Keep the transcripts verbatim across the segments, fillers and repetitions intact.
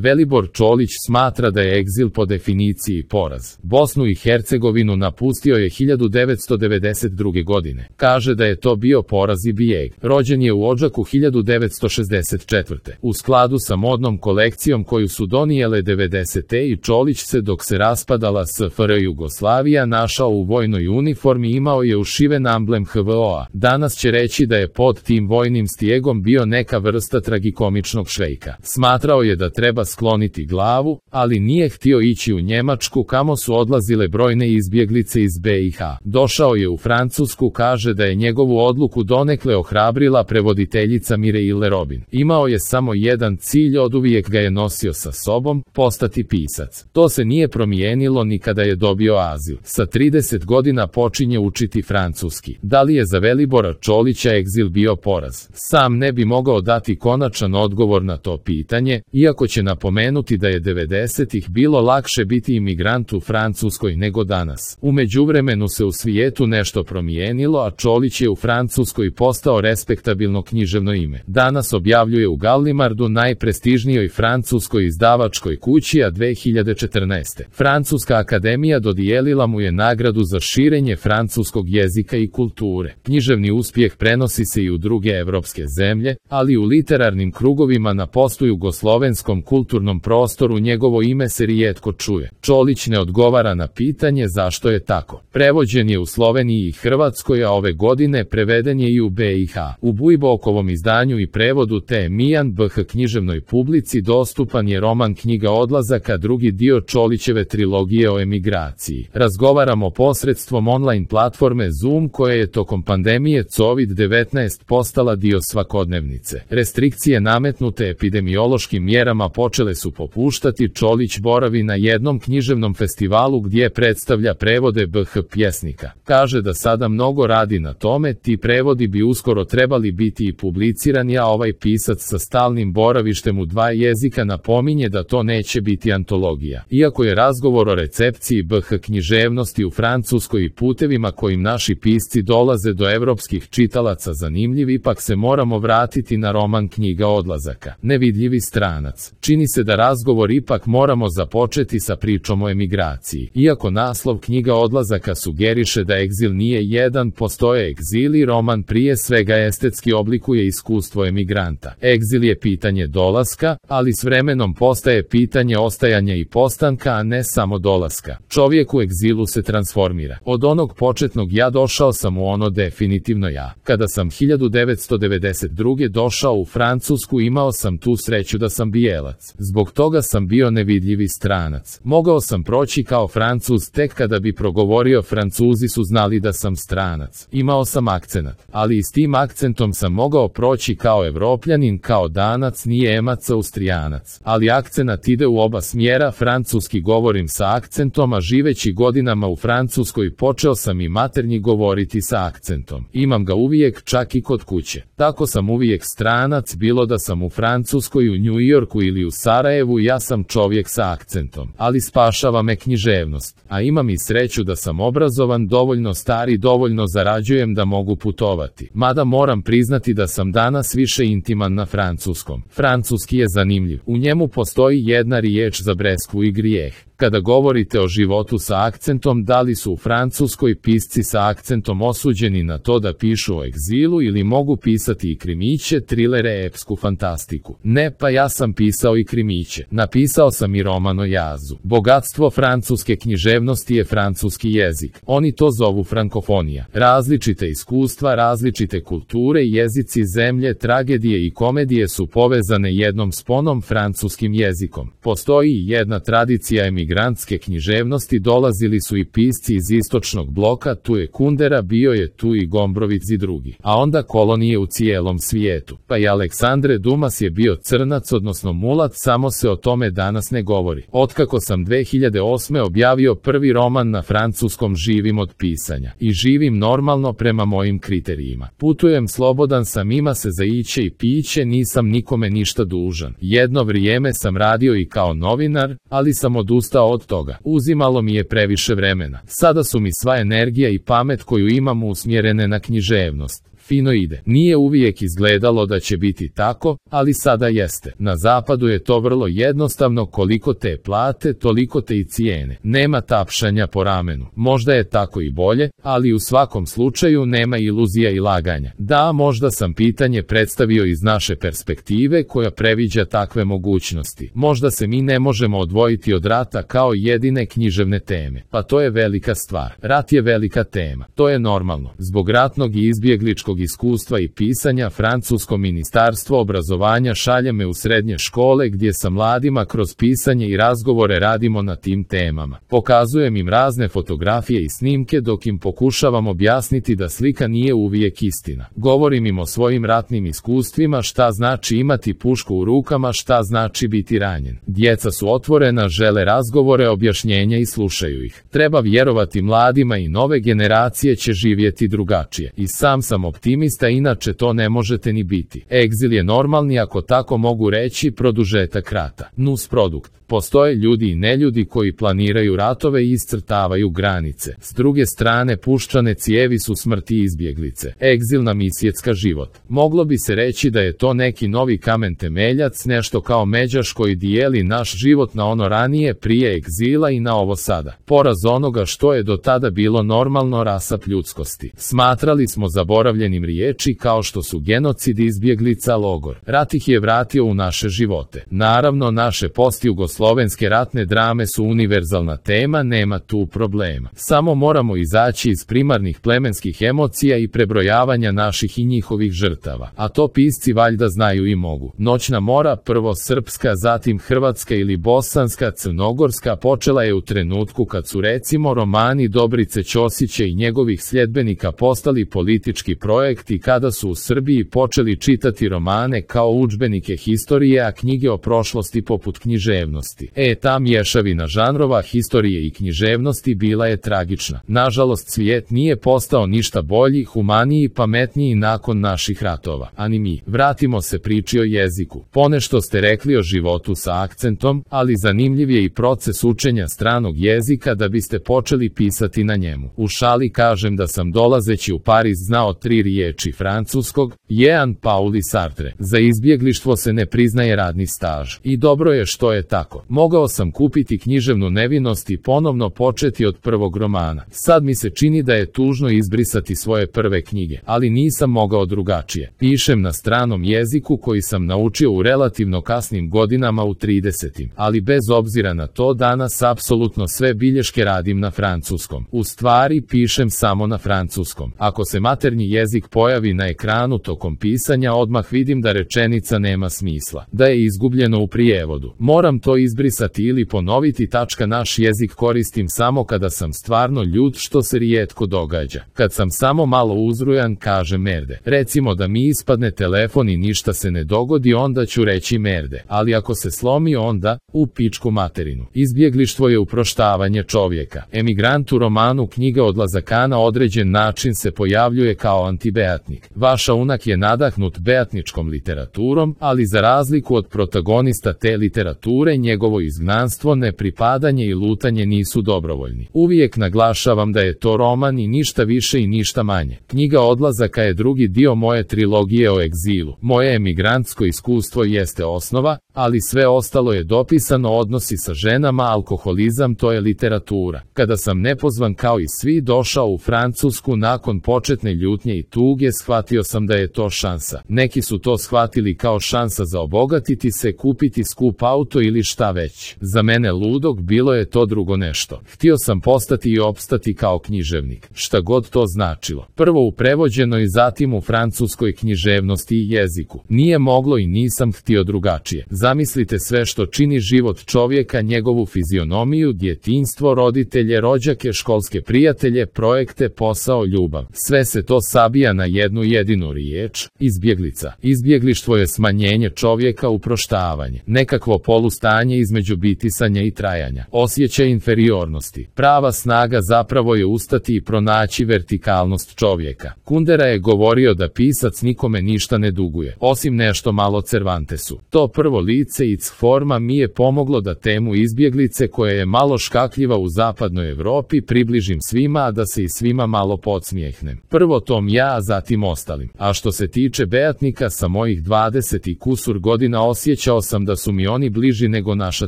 Velibor Čolić smatra da je egzil po definiciji poraz. Bosnu i Hercegovinu napustio je hiljadu devetsto devedeset druge. godine. Kaže da je to bio poraz i bijeg. Rođen je u Odžaku hiljadu devetsto šezdeset četvrte. U skladu sa modnom kolekcijom koju su donijele devedesete i Čolić se dok se raspadala S F R Jugoslavija našao u vojnoj uniformi i imao je ušiven amblem H V O-a. Danas će reći da je pod tim vojnim stijegom bio neka vrsta tragikomičnog švejka. Smatrao je da treba skloniti glavu, ali nije htio ići u Njemačku kamo su odlazile brojne izbjeglice iz B i H. Došao je u Francusku, kaže da je njegovu odluku donekle ohrabrila prevoditeljica Mireille Robin. Imao je samo jedan cilj, oduvijek ga je nosio sa sobom, postati pisac. To se nije promijenilo ni kada je dobio azil. Sa trideset godina počinje učiti francuski. Da li je za Velibora Čolića egzil bio poraz? Sam ne bi mogao dati konačan odgovor na to pitanje, iako će napomenuti da je devedesetih bilo lakše biti imigrant u Francuskoj nego danas. U međuvremenu se u svijetu nešto promijenilo, a Čolić je u Francuskoj postao respektabilno književno ime. Danas objavljuje u Gallimardu, najprestižnijoj francuskoj izdavačkoj kući, a dve hiljade četrnaeste. Francuska akademija dodijelila mu je nagradu za širenje francuskog jezika i kulture. Književni uspjeh prenosi se i u druge evropske zemlje, ali u literarnim krugovima na postjugoslovenskom kulturnom prostoru njegovo ime se rijetko čuje. Čolić ne odgovara na pitanje zašto je tako. Prevođen je u Sloveniji i Hrvatskoj, a ove godine preveden je i u B i H. U Bujbokovom izdanju i prevodu te Mijan B H književnoj publici dostupan je roman Knjiga odlazaka, drugi dio Čolićeve trilogije o emigraciji. Razgovaramo posredstvom online platforme Zoom, koja je tokom pandemije kovid devetnaest postala dio svakodnevnice. Restrikcije nametnute epidemiološkim mjerama počele su popuštati. Čolić boravi na jednom književnom festivalu gdje predstavlja prevode B H pjesnika. Kaže da sada mnogo radi na tome, ti prevodi bi uskoro trebali biti i publicirani, a ovaj pisac sa stalnim boravištem u dva jezika napominje da to neće biti antologija. Iako je razgovor o recepciji B H književnosti u Francuskoj i putevima kojim naši pisci dolaze do evropskih čitalaca zanimljiv, ipak se moramo vratiti na roman Knjiga odlazaka. Nevidljivi stranac. Čini se da razgovor ipak moramo započeti sa pričom o emigraciji. Iako naslov Knjiga odlazaka sugeriše da egzil nije jedan, postoje egzili, roman prije svega estetski oblikuje iskustvo emigranta. Egzil je pitanje dolaska, ali s vremenom postaje pitanje ostajanja i postanka, a ne samo dolaska. Čovjek u egzilu se transformira. Od onog početnog ja došao sam u ono definitivno ja. Kada sam hiljadu devetsto devedeset druge. došao u Francusku, imao sam tu sreću da sam bijelac. Zbog toga sam bio nevidljivi stranac. Mogao sam proći kao Francuz tek kada bi progovorio, Francuzi su znali da sam stranac. Imao sam akcenat, ali i s tim akcentom sam mogao proći kao Evropljanin, kao Danac, Nijemac, Austrijanac. Ali akcenat ide u oba smjera, francuski govorim sa akcentom, a živeći godinama u Francuskoj počeo sam i maternji govoriti sa akcentom. Imam ga uvijek, čak i kod kuće. Tako sam uvijek stranac, bilo da sam u Francuskoj, u New Yorku ili u Sarajevu, ja sam čovjek sa akcentom. Ali spašava me književnost. A imam i sreću da sam obrazovan, dovoljno star i dovoljno zarađujem da mogu putovati. Mada moram priznati da sam danas više intiman na francuskom. Francuski je zanimljiv. U njemu postoji jedna riječ za breskvu i grijeh. Kada govorite o životu sa akcentom, da li su u Francuskoj pisci sa akcentom osuđeni na to da pišu o egzilu ili mogu pisati i krimiće, trilere, epsku fantastiku? Ne, pa ja sam pisao i krimiće. Napisao sam i roman o jazu. Bogatstvo francuske književnosti je francuski jezik. Oni to zovu frankofonija. Različite iskustva, različite kulture, jezici zemlje, tragedije i komedije su povezane jednom sponom, francuskim jezikom. Postoji i jedna tradicija emigrantske književnosti, dolazili su i pisci iz istočnog bloka, tu je Kundera, bio je tu i Gombrowicz i drugi. A onda kolonije u cijelom svijetu. Pa i Aleksandre Dumas je bio crnac, odnosno mulat, samo se o tome danas ne govori. Otkako sam dve hiljade osme. objavio prvi roman na francuskom, živim od pisanja. I živim normalno prema mojim kriterijima. Putujem slobodan sam, ima se za iće i piće, nisam nikome ništa dužan. Jedno vrijeme sam radio i kao novinar, ali sam odustao od toga. Uzimalo mi je previše vremena. Sada su mi sva energija i pamet koju imam usmjerene na književnost. fino ide. Nije uvijek izgledalo da će biti tako, ali sada jeste. Na zapadu je to vrlo jednostavno, koliko te plate, toliko te i cijene. Nema tapšanja po ramenu. Možda je tako i bolje, ali u svakom slučaju nema iluzija i laganja. Da, možda sam pitanje predstavio iz naše perspektive koja previđa takve mogućnosti. Možda se mi ne možemo odvojiti od rata kao jedine književne teme. Pa to je velika stvar. Rat je velika tema. To je normalno. Zbog ratnog i izbjegličkog iskustva i pisanja, francusko ministarstvo obrazovanja šalje me u srednje škole gdje sa mladima kroz pisanje i razgovore radimo na tim temama. Pokazujem im razne fotografije i snimke dok im pokušavam objasniti da slika nije uvijek istina. Govorim im o svojim ratnim iskustvima, šta znači imati pušku u rukama, šta znači biti ranjen. Djeca su otvorena, žele razgovore, objašnjenja i slušaju ih. Treba vjerovati mladima i nove generacije će živjeti drugačije. I sam sam optimista, inače to ne možete ni biti. Egzil je normalni, ako tako mogu reći, produžetak rata. Nus produkt. Postoje ljudi i neljudi koji planiraju ratove i iscrtavaju granice. S druge strane, puščane cijevi su smrti izbjeglice. Egzil nam isjecka život. Moglo bi se reći da je to neki novi kamen temeljac, nešto kao međaš koji dijeli naš život na ono ranije prije egzila i na ovo sada. Poraz onoga što je do tada bilo normalno, rasap ljudskosti. Smatrali smo zaboravljenim riječi kao što su genocid, izbjeglica, logor. Rat ih je vratio u naše živote. Naravno, naše postjugoslovenske ratne drame su univerzalna tema, nema tu problema. Samo moramo izaći iz primarnih plemenskih emocija i prebrojavanja naših i njihovih žrtava. A to pisci valjda znaju i mogu. Noćna mora, prvo srpska, zatim hrvatska ili bosanska, crnogorska, počela je u trenutku kad su recimo romani Dobrice Ćosića i njegovih sljedbenika postali politički projekt i kada su u Srbiji počeli čitati romane kao udžbenike historije, a knjige o prošlosti poput književnosti. E, ta mješavina žanrova historije i književnosti bila je tragična. Nažalost, svijet nije postao ništa bolji, humaniji, pametniji nakon naših ratova. Ani mi. Vratimo se priči o jeziku. Ponešto ste rekli o životu sa akcentom, ali zanimljiv je i proces učenja stranog jezika da biste počeli pisati na njemu. U šali kažem da sam dolazeći u Pariz znao tri riječi francuskog, Jean Paul i Sartre. Za izbjeglištvo se ne priznaje radni staž. I dobro je što je tako. Mogao sam kupiti književnu nevinost i ponovno početi od prvog romana. Sad mi se čini da je tužno izbrisati svoje prve knjige, ali nisam mogao drugačije. Pišem na stranom jeziku koji sam naučio u relativno kasnim godinama u tridesetim, ali bez obzira na to danas apsolutno sve bilješke radim na francuskom. U stvari pišem samo na francuskom. Ako se maternji jezik pojavi na ekranu tokom pisanja, odmah vidim da rečenica nema smisla, da je izgubljeno u prijevodu. Moram to izbrisati ili ponoviti. Tačka, naš jezik koristim samo kada sam stvarno ljut, što se rijetko događa. Kad sam samo malo uzrujan, kažem merde. Recimo da mi ispadne telefon i ništa se ne dogodi, onda ću reći merde, ali ako se slomi, onda u pičku materinu. Izbjeglištvo je uproštavanje čovjeka. Emigrant u romanu Knjiga odlazaka na određen način se pojavljuje kao antibeatnik. Vaša unak je nadahnut beatničkom literaturom, ali za razliku od protagonista te literature, njegovo izgnanstvo, nepripadanje i lutanje nisu dobrovoljni. Uvijek naglašavam da je to roman i ništa više i ništa manje. Knjiga odlazaka je drugi dio moje trilogije o egzilu. Moje emigrantsko iskustvo jeste osnova, ali sve ostalo je dopisano, odnosi sa ženama, alkoholizam, to je literatura. Kada sam nepozvan kao i svi došao u Francusku nakon početne ljutnje i tuge, shvatio sam da je to šansa. Neki su to shvatili kao šansa za obogatiti se, kupiti skup auto ili šta već. Za mene ludog bilo je to drugo nešto. Htio sam postati i opstati kao književnik, šta god to značilo. Prvo u prevođenoj, zatim u francuskoj književnosti i jeziku. Nije moglo i nisam htio drugačije. Zamislite sve što čini život čovjeka, njegovu fizionomiju, djetinjstvo, roditelje, rođake, školske prijatelje, projekte, posao, ljubav. Sve se to sabija na jednu jedinu riječ: izbjeglica. Izbjeglištvo je smanjenje čovjeka, uproštavanje, nekakvo polustanje između bitisanja i trajanja, osjećaj inferiornosti. Prava snaga zapravo je ustati i pronaći vertikalnost čovjeka. Kundera je govorio da pisac nikome ništa ne duguje, osim nešto malo Cervantesu. To prvo lice i forma mi je pomoglo da temu izbjeglice, koja je malo škakljiva u zapadnoj Europi, približim svima, a da se i svima malo podsmijehnem. Prvo tom ja, ja a zatim ostalim. A što se tiče Beatnika, sa mojih dvadeset i kusur godina osjećao sam da su mi oni bliži nego naša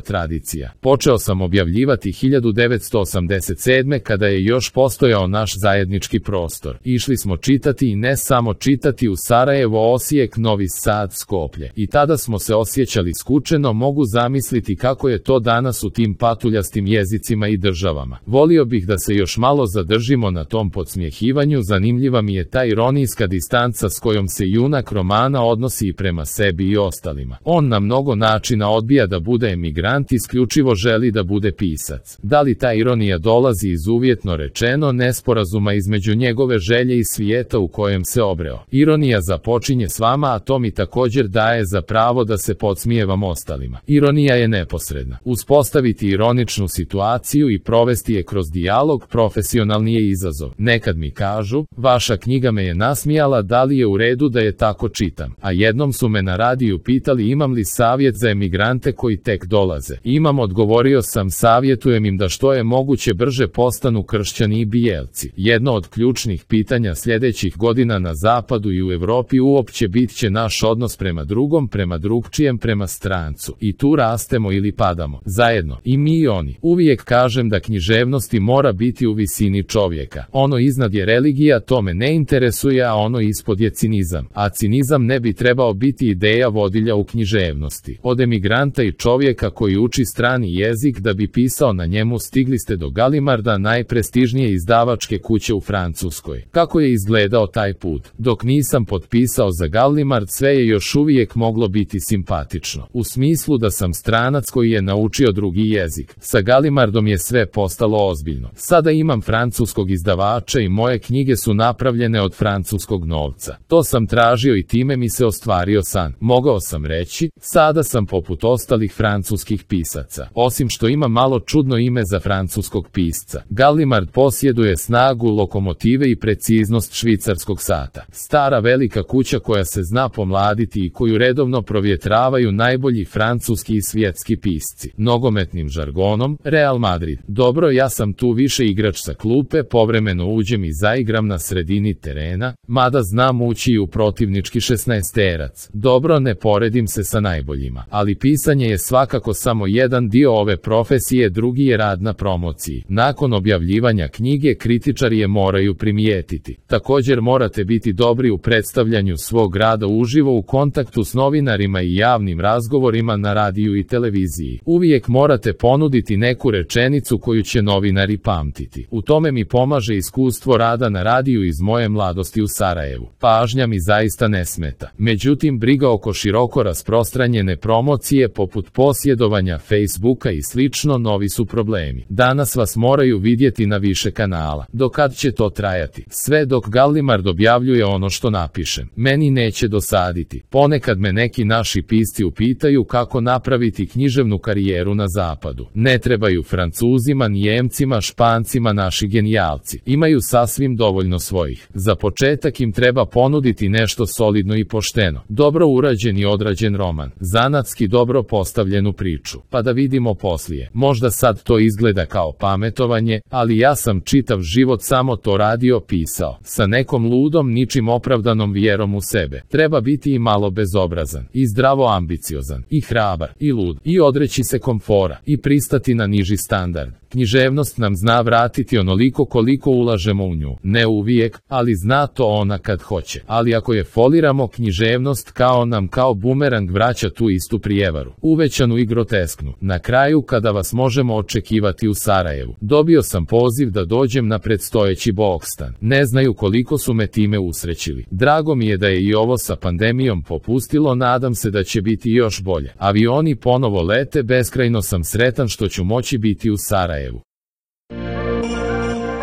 tradicija. Počeo sam objavljivati hiljadu devetsto osamdeset sedme kada je još postojao naš zajednički prostor. Išli smo čitati i ne samo čitati u Sarajevo, Osijek, Novi Sad, Skoplje. I tada smo se osjećali skučeno, mogu zamisliti kako je to danas u tim patuljastim jezicima i državama. Volio bih da se još malo zadržimo na tom podsmjehivanju, zanimljiva mi je ta ironijska distanca s kojom se junak romana odnosi i prema sebi i ostalima. On na mnogo načina odbija da bude emigrant, isključivo želi da bude pisac. Da li ta ironija dolazi iz, uvjetno rečeno, nesporazuma između njegove želje i svijeta u kojem se obreo? Ironija započinje s vama, a to mi također daje za pravo da se podsmijevam ostalima. Ironija je neposredna. Uspostaviti ironičnu situaciju i provesti je kroz dijalog profesionalni je izazov. Nekad mi kažu, vaša knjiga me je nasmijala, da li je u redu da je tako čitam? A jednom su me na radiju pitali imam li savjet za emigrante koji tek dolaze. Imam, odgovorio sam, savjetujem im da što je moguće brže postanu kršćani i bijelci. Jedno od ključnih pitanja sljedećih godina na zapadu i u Europi uopće bit će naš odnos prema drugom, prema drugčijem, prema strancu. I tu rastemo ili padamo. Zajedno, i mi i oni. Uvijek kažem da književnosti mora biti u visini čovjeka. Ono iznad je religija, to me ne interesuje, a ono ispod je cinizam. A cinizam ne bi trebao biti ideja vodilja u književnosti. Od emigranta i čovjeka koji uči strani jezik da bi pisao na njemu stigli ste do Gallimarda, najprestižnije izdavačke kuće u Francuskoj. Kako je izgledao taj put? Dok nisam potpisao za Gallimard, sve je još uvijek moglo biti simpatično. U smislu da sam stranac koji je naučio drugi jezik. Sa Gallimardom je sve postalo ozbiljno. Sada imam francuskog izdavača i moje knjige su napravljene od francuskog novca. To sam tražio i time mi se ostvario san. Mogao sam reći, sada sam poput ostalih francuskih pisaca. Osim što ima malo čudno ime za francuskog pisca. Gallimard posjeduje snagu lokomotive i preciznost švicarskog sata. Stara velika kuća koja se zna pomladiti i koju redovno provjetravaju najbolji francuski i svjetski pisci. Nogometnim žargonom, Real Madrid. Dobro, ja sam tu više igrač sa klupe, povremeno uđem i zaigram na sredini terena, mada znam ući i u protivnički šesnaesterac. Dobro, ne poredim se sa najboljima, ali pisanje je svakako samo jedan dio ove profesije, drugi je rad na promociji. Nakon objavljivanja knjige kritičari je moraju primijetiti. Također morate biti dobri u predstavljanju svog rada uživo, u kontaktu s novinarima i javnim razgovorima na radiju i televiziji. Uvijek morate ponuditi neku rečenicu koju će novinari pamtiti. U tome mi pomaže iskustvo rada na radiju iz moje mladosti u Sarajevu. Pažnja mi zaista ne smeta. Međutim, briga oko široko rasprostranjene promocije poput posjedovanja Facebooka i slično novi su problemi. Danas vas moraju vidjeti na više kanala. Do kad će to trajati? Sve dok Gallimard objavljuje ono što napišem. Meni neće dosaditi. Ponekad me neki naši pisci upitaju kako napraviti književnu karijeru na zapadu. Ne trebaju Francuzima, Nijemcima, Špancima naši genijalci. Imaju sasvim dovoljno svojih. Za početak im treba ponuditi nešto solidno i pošteno. Dobro urađen i odrađen roman. Zanatski dobro postavljenu priču. Pa da vidimo poslije. Možda sad to izgleda kao pametovanje, ali ja sam čitav život samo to radio, pisao. Sa nekom ludom, ničim opravdanom vjerom u sebe. Treba biti i malo bezobrazan, i zdravo ambiciozan, i hrabar, i lud, i odreći se komfora, i pristati na niži standard. Književnost nam zna vratiti onoliko koliko ulažemo u nju. Ne uvijek, ali zna to ona kad hoće. Ali ako je foliramo, književnost kao nam kao bumerang vraća tu istu prijevaru. Uvećanu i grotesknu. Na kraju, kada vas možemo očekivati u Sarajevu. Dobio sam poziv da dođem na predstojeći Bokstan. Ne znaju koliko su me time usrećili. Drago mi je da je i ovo sa pandemijom popustilo, nadam se da će biti još bolje. Avioni ponovo lete, beskrajno sam sretan što ću moći biti u Sarajevu.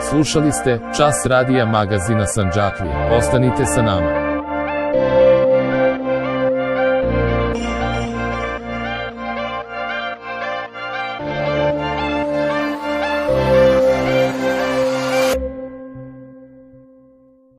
Slušali ste Čas radija magazina Sandžaklije. Ostanite sa nama.